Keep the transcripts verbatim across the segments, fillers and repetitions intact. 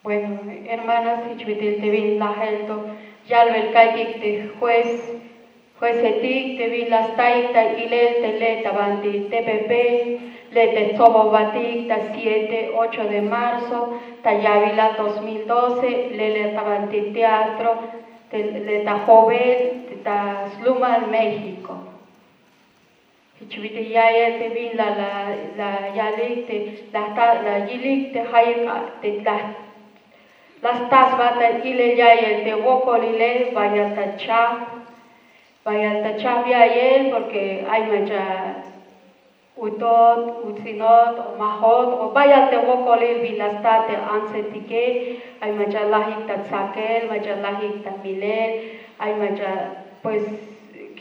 Bueno, hermanas, jich bit'il te bin lajel to yalbel ka'iytik te juez, juecetik te bin la staik ta ilel te le' ta banti T P P, le' te tsobobatik ta siete, ocho de marzo ta ya'bilal dos mil doce, le' le' ta banti teatro, te le' ta Jovel, ta slumal México. Jich bit'il ya'iyel te bin la, la, la yalik te, la ta, la yilik te jayeb, te la, la stasbat ta ilel ya'iyel te wokolile, bayal ta chajp, bayal ta chajp ya'iyel, porque ay mach'a utot, uts'inot, o majot, o bayal te wokolil bin la sta te antsetike, ay mach'a lajik ta tsakel, mach'a lajik ta milel, ay mach'a, pues,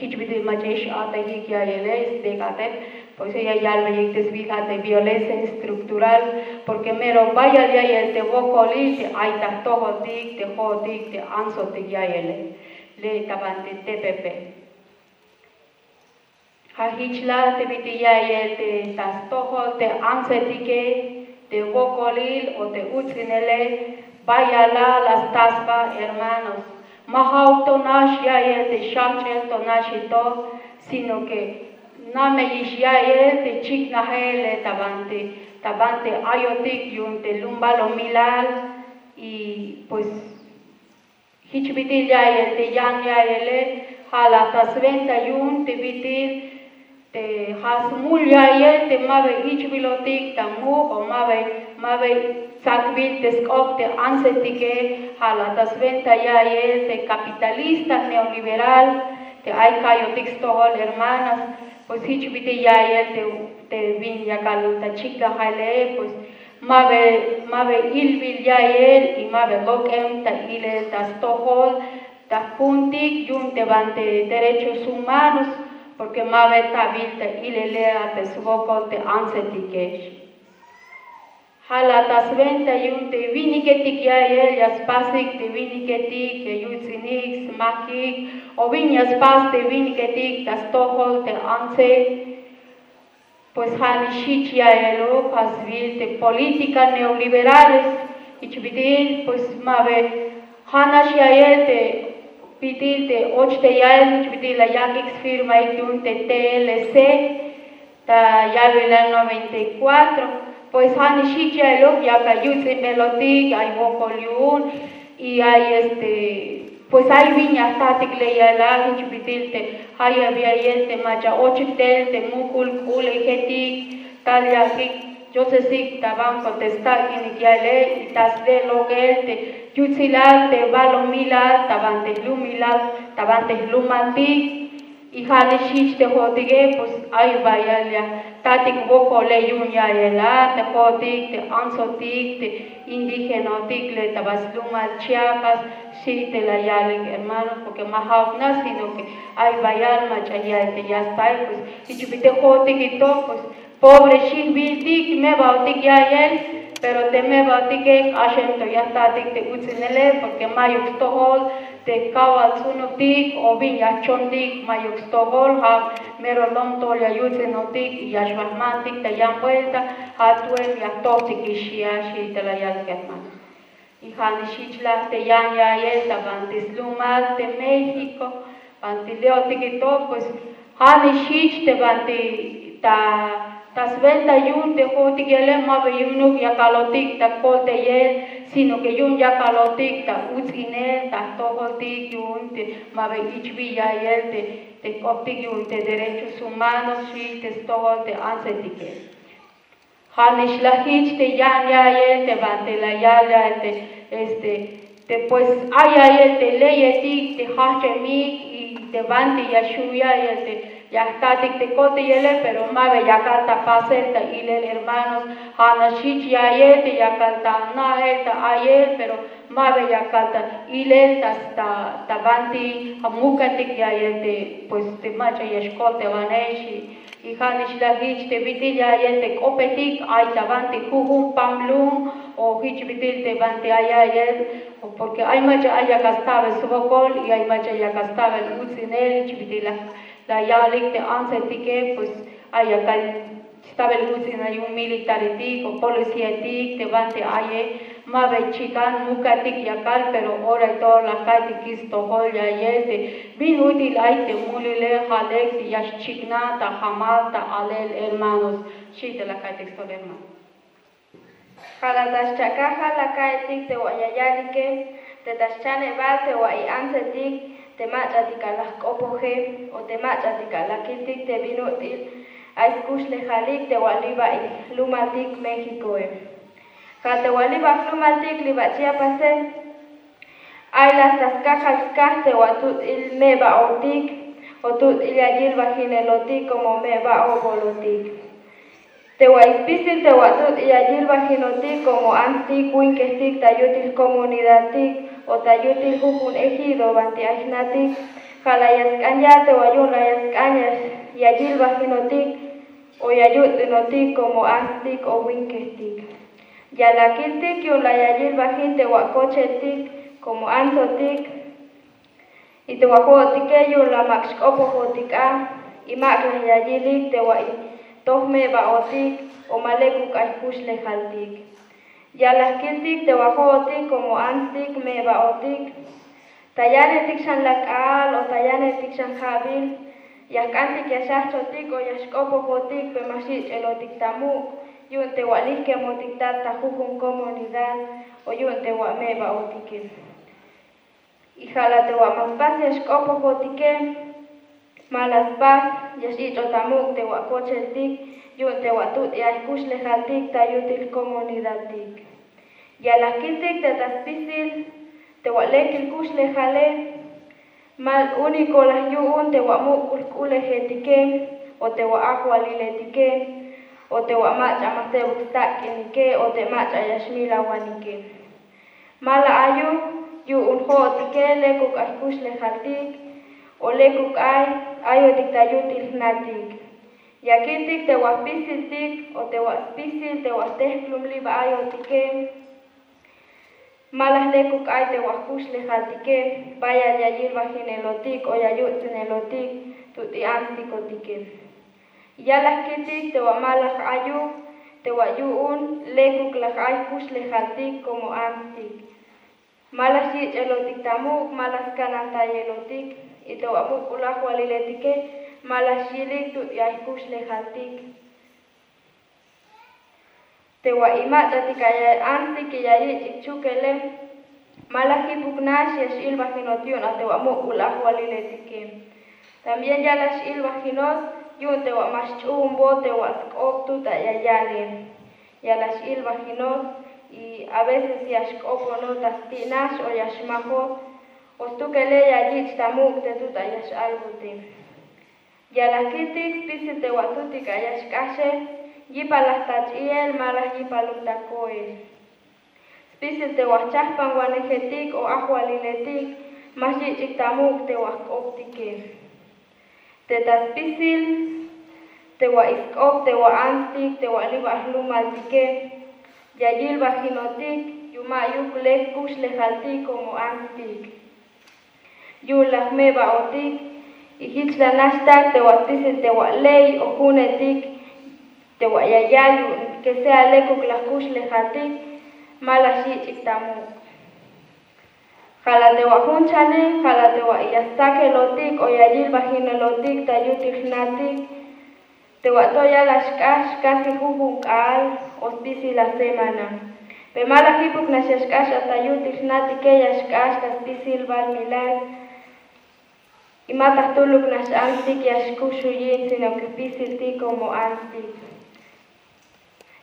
jich bit'il mach'a ix a'tejik ya'iyele, stek'atej, pues ya yalbeyik te sbiil ja' te violencia estructural, porque mero bayal ya'iyel te wokolil te ay ta jtojoltik, te jo'otik, te antsotik ya'iyele, le' ta banti T P P. Ja' jich la te bit'il ya'iyel te ta stojol te antsetike, te wokolil o te uts'inele, bayal la la sta sba, hermanos. Ma ja'uk to nax ya'iyel te xjajch'el to naxito, sino que nameyix ya'iyel te chiknajel le' ta banti, ta banti ayotik yu'un te lumbalomilal, y pues jich bit'il ya'iyel te yan ya'iyele, ja' la ta swenta yu'un te bit'il te ja' smul ya'iyel te ma ba ich'bilotik ta muk', o ma ba, ma ba tsakbil te sk'op te antsetike, ja' la ta swenta ya'iyel te capitalista neoliberal te ay ka'yotik stojol, hermanas. Pues jich bit'il ya'iyel te, te bin yakal ta chiknajele, pues ma ba, ma ba ilbil ya'iyel y ma ba lok'em ta ilel ta stojol ta jk'u'untik yu'un te banti derechos humanos, porque ma ba tabil ta ilele a te swokol te antsetike. Ja' la ta swenta yu'un te winiketik ya'iyel ya spasik te winiketik ya yuts'inik, smakik, o bin ya spas te winiketik ta stojol te antse. Pues ja' nix jich ya'iyeluk ja' sbiil te política neoliberales, jich bit'il pues ma ba ja' nax ya'iyel te bit'il te och te ya'iyel, jich bit'il la yak'ik sfirmaik yu'un te T L C ta ya'bilal noventa y cuatro. Pues ja' nix jich ya'iyeluk yakal yuts'inbelotik, ay wokol yu'un, y ay este, pues ay bin ya jtatik le' ya'iyel a, jich bit'il te jayeb ya'iyel te mach'a ochik tel te muk'ul k'u'unejetik, tal yakik yotsesik ta banco te stak'inik ya'iyele, y ta sle' lok'el te yutsilal te balumilal ta banti jlumilal, ta banti jlumaltik. Y ja' nix jich te jo'otike, pues ay bayal ya jtatik wokole yu'un ya'iyel a te jo'otik, te antsotik, te indigenotik le' ta ba slumal Chiapas, xchi te la yalik, hermano, porque ma ja'uk nax, sino que ay bayal mach'a ya'iyel te ya staik, pues jich bit'il te jo'otike to, pues pobre xijbiltik, me'baotik ya'iyel, pero te me'baotike k'axem to ya jtatik te uts'inele, porque ma'yuk stojol te kawal ts'unubtik o bin ya jchontik, ma'yuk stojol, ja' mero lom to'ol ya yuts'inotik y ya xbajmantik ta yan vuelta, ja' tu'em ya jtojtikix ya, xchi te la yalik, hermano. Y ja' nix jich la te yan ya'iyel ta banti slumal te México, banti le'otik to, pues ja' nix jich te banti ta, ta swenta yu'un te jo'otik ya'iyele, ma ba yu'unuk yakalotik ta koltayel, sino que yu'un yakalotik ta uts'inel, ta jtojoltik yu'un te ma ba ich'bil ya'iyel te, te jk'optik yu'un te derechos humanos, xchi te stojol te antsetike. Ja' nix la jich te yan ya'iyel te banti la yal ya'iyel te, este, te pues ay ya'iyel te leyetik te jajch'emik y te banti ya xju' ya'iyel te ya jtatik te koltayele, pero ma ba yakal ta pasel ta ilel, hermanos. Ja' nax jich ya'iyel te yakal ta ana'el ta a'iyel, pero ma ba yakal ta ilel ta, ta, ta banti ja' mukatik ya'iyel te, pues, te mach'a ya xkoltawanej, xchi. Y ja' nix la jich te bit'il ya'iyel te k'opetik ay ta banti jujun pamlum o jich bit'il te banti ay ya'iyel, porque ay mach'a ay yakal stabel swokol y ay mach'a yakal stabel uts'inel, jich bit'il la, la yalik te antsetike, pues ay yakal stabel uts'inel yu'un militaretik o policiaetik te banti aye, Ma ba chikan mukatik yakal, pero ora y todo la ka'aytik stojol ya'yel te bin ut'il ay te mulile, ja' lek te ya xchiknaj ta jamal ta alel, hermanos. Xi' te la ka'aytik stojol, hermano. Ja' la ta xchakaj, ja' la ka'aytik te wa' ya yalike, te ta xchanebal te wa' i antsetik, te mach'atik a la jk'opoje, o te mach'atik a la kiltik te bin ut'il ay skuxlejalik te wa' liba i jlumaltik Méxicoe. Ja' te wa' liba jlumaltik liba Chiapase, ay la ta skajal skaj te wa' tut'il meba'otik, o tut'il ya yilbajinelotik como meba'obolotik. Te wa' spisil te wa' tut'il ya yilbajinotik como antstik, winkejtik ta yutil comunidadtik, o ta yutil jujun ejido banti ay jnatik, ja' la ya sk'an yal te wa' yu'un la ya sk'an ya, ya yilbajinotik, o ya yuts'inotik como antstik o winkejtik. Ya la kiltik yu'un la ya yilbajin te wa' kocheltik como antsotik, y te wa' jo'otike yu'un la mak xk'opojotik a, y mak la ya yilik te wa' i toj meba'otik, o ma lekuk ay jkuxlejaltik. Ya la kiltik te wa' jo'otik como antstik, meba'otik. Ta yanetik xan la k'aal, o ta yanetik xan ja'bil, ya jk'antik ya xjajch'otik, o ya xk'opojotik, pe ma xyich'elotik ta muk', yu'un te wa' lijkemotik ta, ta jujun comunidad, o yu'un te wa' meba'otike. Y ja' la te wa' ma spas ya xk'opojotike, ma la spas ya xyich'ot ta muk' te wa' kocheltik, yu'un te wa' tut'il ay jkuxlejaltik ta yutil comunidadtik. Ya la kiltik te ta spisil te wa' lekil kuxlejale, ma único la yu'un te wa' muk'ul jk'ulejetike, o te wa' ajwaliletike, o te wa' mach'a ma sebuk stak'inike, o te mach'a ya xmilawanike. Ma la ayuk yu'un jo'otike lekuk ay jkuxlejaltik, o lekuk ay ayotik ta yutil jnatik. Ya kiltik te wa' jpisiltik, o te wa' spisil te wa' jtejklumlib ayotike, ma la lekuk ay te wa' jkuxlejaltike, bayal ya yilbajinelotik, o ya yuts'inelotik tut'il antsikotike. Ya la kiltik te wa' ma la ayuk, te wa' yu'un lekuk la ay jkuxlejaltik como antstik. Ma la xyich'elotik ta muk', ma la skanantayelotik, y te wa' muk'ul ajwaliletike, ma la xyilik tut'il ay jkuxlejaltik. Te wa' i mach'atik ay antstik ya yich' chukele, ma la jipuk nax ya xilbajinot yu'un a te wa' muk'ul ajwaliletike. También ya la xilbajinot yu'un te wa' ma xch'uunbot te wa' sk'op tut a ya yale. Ya la xilbajinot, y a veces ya xk'oponot ta sti' nax o ya xmajot, o stukele ya yich' ta muk' te tut a ya x'albote. Ya la kiltik spisil te wa' tutik a ya xk'axe, yipalaj ta ch'iel, ma la yipaluk ta koel. Spisil te wa' jchajpanwanejetik o ajwaliletik, ma xyich'ik ta muk' te wa' jk'optike. Te ta spisil te wa' sk'op te wa' antstik, te wa' liba jlumaltike, ya yilbajinotik yu'un ma'yuk lek kuxlejaltik como antstik. Yu'un la jmeba'otik, y jich la naxtak te wa' spisil te wa' ley o junetik, te wa' ya yal yu'un que sea lekuk la jkuxlejaltik, ma la xyich'ik ta muk'. Ja' la te wa' jun chanej, ja' la te wa' ya stsakelotik o ya yilbajinelotik ta yutil jnatik, te wa' to ya la xk'ax casi jujun k'aal o spisil a semana. Pe ma la jipuk nax ya xk'ax a ta yutil jnatike, ya xk'ax ta spisil balumilal. Y ma ta jtuluk nax antstik ya xkuxuyin, sino que spisiltik como antstik.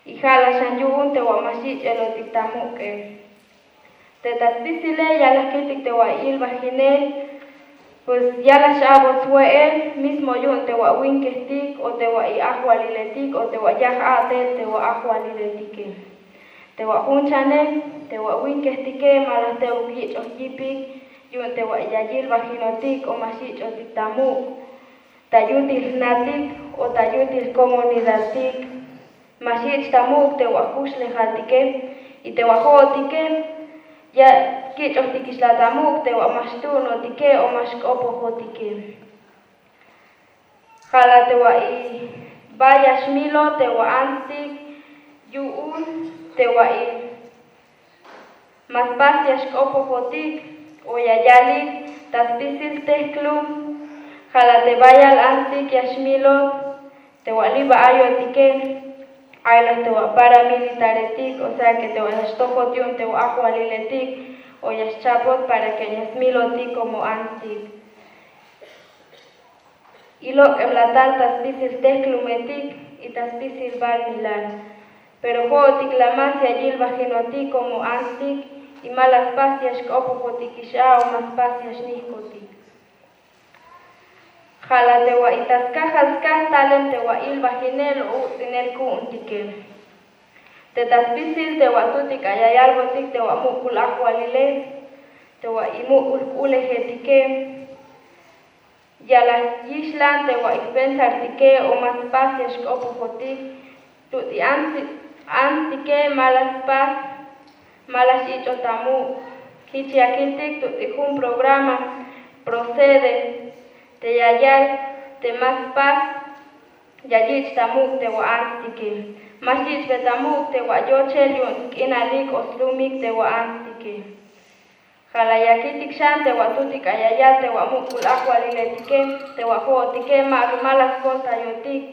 Y ja' la xan yu'un te wa' ma xyich'elotik ta muk'e. Te ta spisile ya la kiltik te wa' ilbajinel, pues ya la x'a'bot swe'el, mismo yu'un te wa' winkejtik o te wa' i ajwaliletik o te wa' yaj a'tel te wa' ajwaliletike. Te wa' jun chanej, te wa' winkejtike ma la jtebuk yich'oj yipik yu'un te wa' ya yilbajinotik o ma xyich'otik ta muk', ta yutil jnatik o ta yutil comunidadtik. Ma xyich' ta muk' te wa' jkuxlejaltike, y te wa' jo'otike ya kich'ojtikix la ta muk' te wa' ma xtu'unotike o ma xk'opojotike. Ja' la te wa' i ba ya xmilot te wa' antstik yu'un te wa' i ma spas ya xk'opojotik o ya yalik ta spisil tejklum. Ja' la te bayal ants'ik ya xmilot te wa' li' ba ayotike, ay la te wa' paramilitaretik, o sea que te wa' ya xtojot yu'un te wa' ajwaliletik o ya xchapot para que ya smilotik como ants'ik. Y lok'em la tal ta spisil tejklumetik y ta spisil balmilal. Pero jo'otik la más ya yilbajinotik como ants'ik y ma la spas ya xk'opojotikix a o ma spas ya xnijkotik. Ja' la te wa' y ta skajal skaj talem te wa' ilbajinel o uts'inel ku'untike. Te ta spisil te wa' tutik ay ya yalbotik te wa' muk'ul ajwalile, te wa' y muk'ul k'ulejetike. Ya la yixlan te wa' y jpensartike o ma spas ya xk'opojotik. Tuti ants'tike ma la spas, ma la xyich'ot ta muk'. Jich ya kiltik tuti jun programa Procede te ya yal te ma spas ya yich' ta muk' te wa' ants'tike. Ma xyich'be ta muk' te wa' yochel yu'un sk'inalik o slumik te wa' ants'tike. Ja' la ya kiltik xan te wa' tutik ay ya yal te wa' muk'ul ajwaliletike, te wa' jo'otike ma la skoltayotik.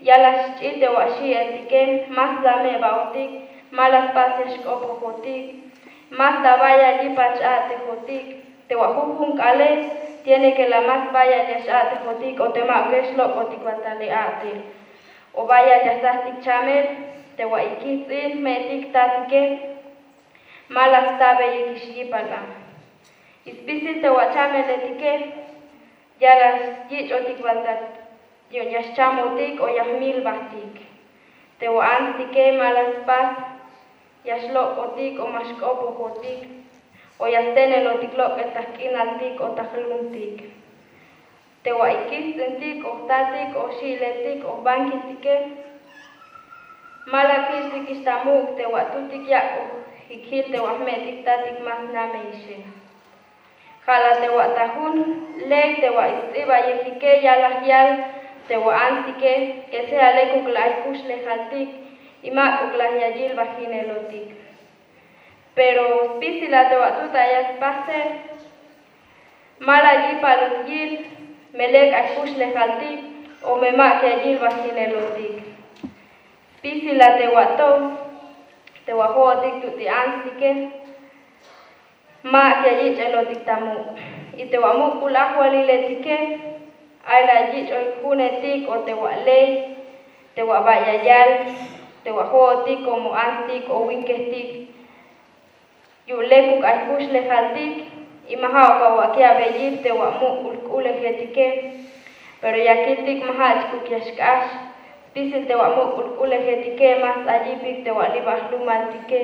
Ya la xch'i te wa' xi'eltike, ma slameba'otik, ma la spas ya xk'opojotik, ma sla bayal yipal x-a'tejotik. Te wa' jujun k'aal tiene que la más bayal ya x-a'tejotik o te ma'ukex lok'otik ba ta le a'tel o bayal ya stsajtik chamel. Te wa' y kijts'in jme'tik jtatike, ma la stabeyikix yipal a. Y spisil te wa' chameletike ya la yich'otik bal ta yu'un ya xchamotik o ya jmilbajtik. Te wa' ants'tike ma la spas ya xlok'otik o ma xk'opojotik o ya stenelotik lok'el ta jk'inaltik o ta jlumtik. Te wa' y kijts'intik o jtatik o xi'letik o jbankiltike ma la kiltikix ta muk' te wa' tutik yak'ojik jil te wa' jme'tik jtatik ma snameyixe. Ja' la te wa' ta jun ley te wa' y sts'ibayejike ya la yal te wa' ants'tike que sea lekuk la ay jkuxlejaltik y mak'uk la ya yilbajinelotik. Pero spisil a te wa' tut ay ya spasel ma la yipalot yil me lek ay jkuxlejaltik o me mak ya yilbajinelotik. Spisil a te wa' to te wa' jo'otik tuti ants'tike mak ya yich'elotik ta muk'. Y te wa' muk'ul ajwaliletike ay la yich'oy junetik o te wa' ley te wa' ba ya yal te wa' jo'otik como ants'tik o winkejtik yu'un lekuk ay jkuxlejaltik y ma ja'uk awak' ya'beyil te wa' muk'ul k'ulejetike. Pero ya kiltik ma ja'chikuk ya xk'ax spisil te wa' muk'ul k'ulejetike ma sts'ay yipik te wa' li' ba jlumaltike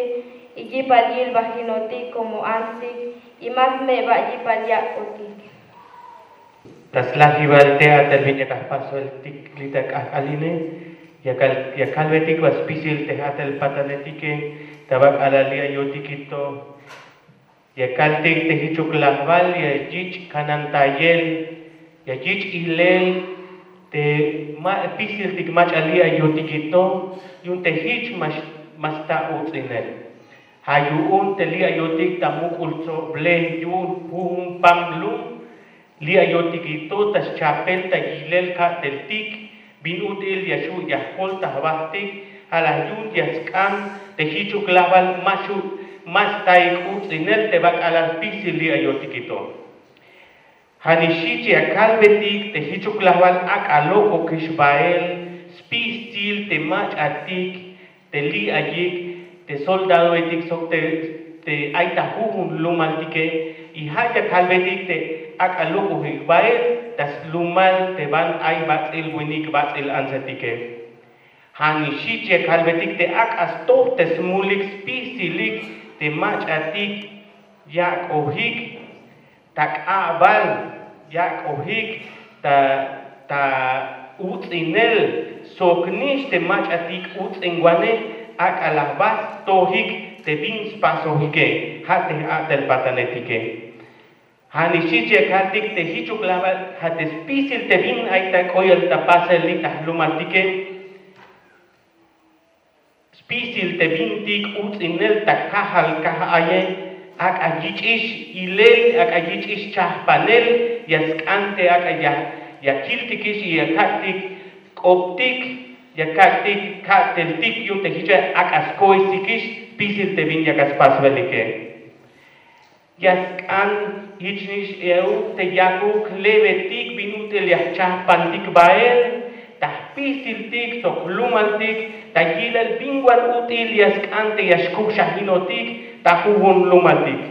y yipal yilbajinotik como ants'tik y ma smeba yipal yak'otik. Ta slajibal te a'tel bin ya k'ajpasbeltik li' ta k'ajk'al ine ya kalbetik ba spisil te ja'tel patanetike ta bak'alal li' ayotik to. Ya kaltik te jichuk lajbal ya yich' kanantayel ya yich' ilel te ma spisiltik mach'a li' ayotik to yu'un te jich ma sta uts'inel. Ja' yu'un te li' ayotik ta muk'ul tsoblej yu'un jujun pam lum li' ayotik to ta schapel ta yilel ka'teltik bin ut'il ya xu' ya jkol ta jbajtik. Ja' la yu'un ya sk'an te jichuk lajbal ma xu' ma staik uts'inel te bak'alal spisil li' ayotik to. Ja' nix xich ya kalbetik te jichuk lajbal ak'a lok'okix bael spisil te mach'atik te li' ayik te soldadoetik sok te ay ta jujun lumaltike. Y ja' ya kalbetik te ak'a lok'ojik bael ta slumal te ban ay bats'il winik bats'il antsetike. Ja' nix xich ya kalbetik te ak'a stoj te smulik spisilik te mach'atik yak'ojik ta k'a'bal yak'ojik ta ta uts'inel sok nix te mach'atik uts'inwanej ak'a la jba stojik te bin spasojike. Ja' te a'tel patanetike. Ja' nix xich ya kaltik te jichuk lajbal ja' te spisil te bin ay ta k'oyel ta pasel li' ta jlumaltike. Spisil te bintik uts'inel ta kajal kaj aye Ak'a yich'ix ilel, ak'a yich'ix chahpanel, ya sk'an te ak'a ya, ya kiltikix y ya kak'tik k'optik, ya kak'tik ka'teltik yu'un te jich ak'a skohesikix spisil te bin ya ka spasbelike. Ya sk'an jichnix euk te yakuk lebetik bin ut'il ya jchahpantik bael ta jpisiltik sok jlumaltik ta yilel bin wan ut'il ya sk'an te ya xkujxajinotik ta jujun lumaltik.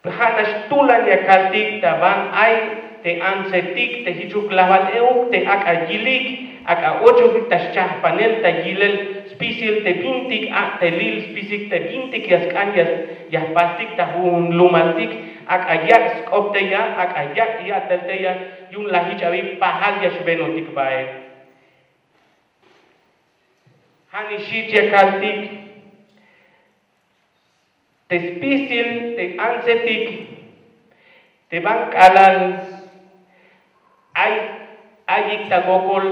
Ja' nax tulan ya kaltik ta ban ay te antsetik te jichuk lajbal euk te ak'a yilik, ak'a ochotik ta xchahpanel ta yilel spisil te bintik a'telil, spisil te bintik ya sk'an ya, ya jpastik ta jujun lumaltik, ak'a yak' sk'op teya, ak'a yak' ya'tel teya, yu'un la jich abi pajal ya xbenotik bael. Ja' nix jich ya kaltik te spisil te antsetik, te ban k'alal ay, ayik ta wokol,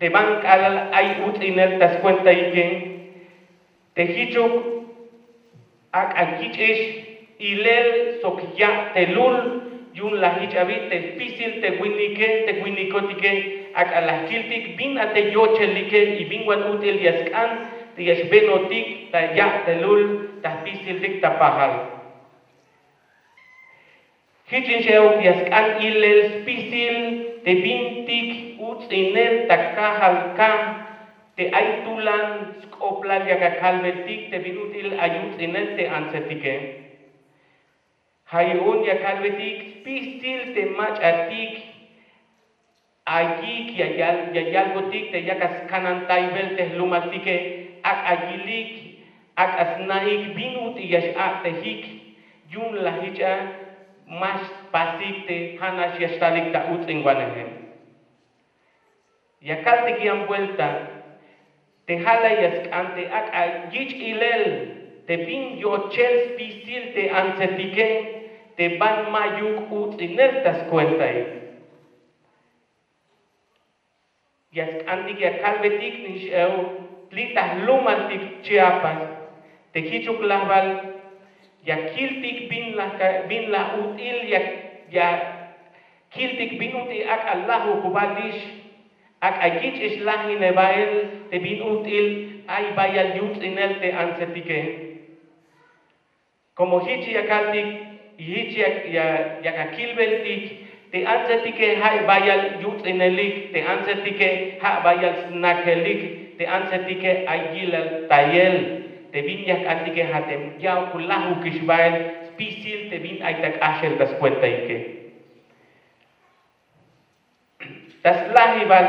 te ban k'alal ay uts'inel ta skuentaike, te jichuk ak'a yich'ix ilel sok ya'telul, yu'un la jich abi te spisil te winike, te winikotike, ak'a la kiltik bin a te yochelike y bin wan ut'il ya sk'an te ya xbenotik ta ya'telul ta jpisiltik ta pajal. Jichin xe'ok ya sk'an ilel spisil te bintik uts'inel ta kajal ka, te ay tulan sk'oplal ya ka kalbetik te bin ut'il ay uts'inel te antsetike. Ja' yu'un ya kalbetik spisil te mach'atik ayik ya yal, ya yalbotik te yak a skanantaybel te jlumaltike, ak'a yilik, ak'a sna'ik bin ut'il ya x-a'tejik, yu'un la jich a ma xpasik te ja' nax ya xtalik ta uts'inwaneje. Ya kaltik yan buelta te ja' la ya sk'an te ak'a yich' ilel te bin yochel spisil te antsetike te ban ma'yuk uts'inel ta skuentaik. Ya sk'antik ya kalbetik nix ew li' ta jlumaltik Chiapas te jichuk lajbal ya kiltik bin la ka, bin la ut'il ya, ya kiltik bin ut'il ak'a lajuk balix, ak'a yich'ix lajine bael te bin ut'il ay bayal yuts'inel te antsetike. Como jich ya kaltik y jich ya, ya, ya ka kilbeltik te antsetike ja' bayal yuts'inelik, te antsetike ja' bayal snakelik, te antsetike ay yilel tayel, te bin ya jk'antike ja' te ya'uk lajukix bael spisil te bin ay ta k'axel ta skuentaike. Ta slajibal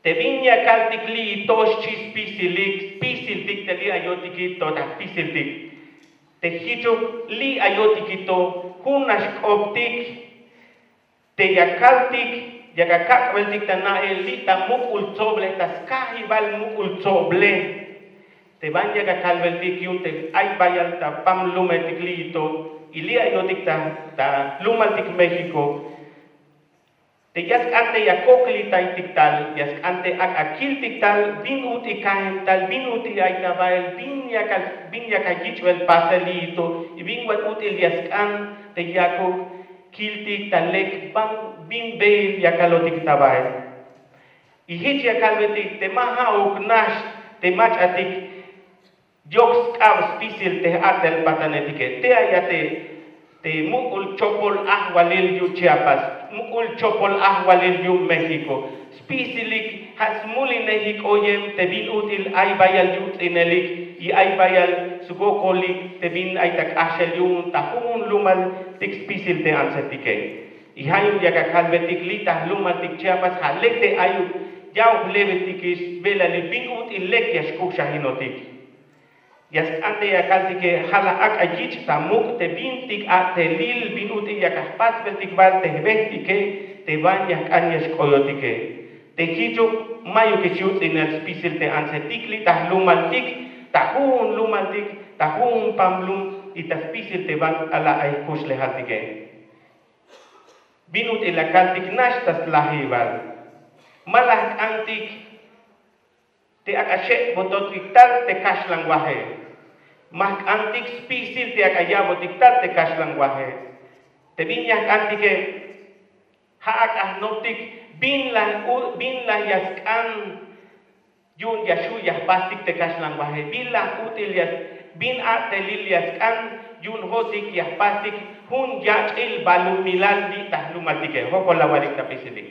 te bin ya kaltik li'i to xchi spisilik, spisiltik te li' ayo'tiki to ta jpisiltik. Te jichuk li' ayo'tiki to jun nax k'optik te ya kaltik, ya ka kak'beltik ta na'el li' ta muk'ul tsoblej, ta skajibal muk'ul tsoblej. Te ban ya ka kalbeltik yu'un te ay bayal ta pam lumetik li'i to y li' ayo'tik ta, ta jlumaltik México. Te ya sk'an te ya koklitaytik tal, ya sk'an te ak'a kiltik tal bin ut'il kajem tal, bin ut'il ay ta bael, bin ya ka, bin ya ka yich'bel pasel li'i to y bin wan ut'il ya sk'an te yakuk kiltik ta lek ban bin beel ya kalotik ta bael. Y jich ya kalbetik te ma ja'uk nax te mach'atik yok sk'ab spisil te j'at'el patanetike. Te ay a te, te muk'ul chopol ajwalil yu'un Chiapas, muk'ul chopol ajwalil yu'un México. Spisilik ja' smulinejik oyem te bin ut'il ay bayal yuts'inelik y ay bayal swokolik te bin ay ta k'axel yu'un ta jujun lumaltik spisil te antsetike. Y ja' yu'un ya ka kalbetik li' ta jlumaltik Chiapas ja' lek te ayuk ya'uk lebetikix sbelalil bin ut'il lek ya xkujxajinotik. Ya sk'an te ya kaltike ja' la ak'a yich' ta muk' te bintik a'telil bin ut'il ya ka jpasbeltik bael te jbejtike te ban ya jk'an ya xk'oyotike. Te jichuk ma'yukix yuts'inel spisil te antsetik li' ta jlumaltik, ta jujun lumaltik, ta jujun pam lum y ta spisil te ban k'alal ay jkuxlejaltike. Bin ut'il la kaltik nax ta slajibal. Ma la jk'antik te ak'a xe'bototik tal te kaxlan waje. Ma jk'antik spisil te ak'a ya'botik ta te kaxlan waje. Te bin ya jk'antike, ja' ak'a jnoptik bin la u- bin la ya sk'an yu'un ya xju' ya jpastik te kaxlan waje, bin la ut'il ya bin a'telil ya sk'an yu'un jo'sik ya jpastik jun yach'il balumilal li' ta jlumaltike. Jojol awalik ta pisilik.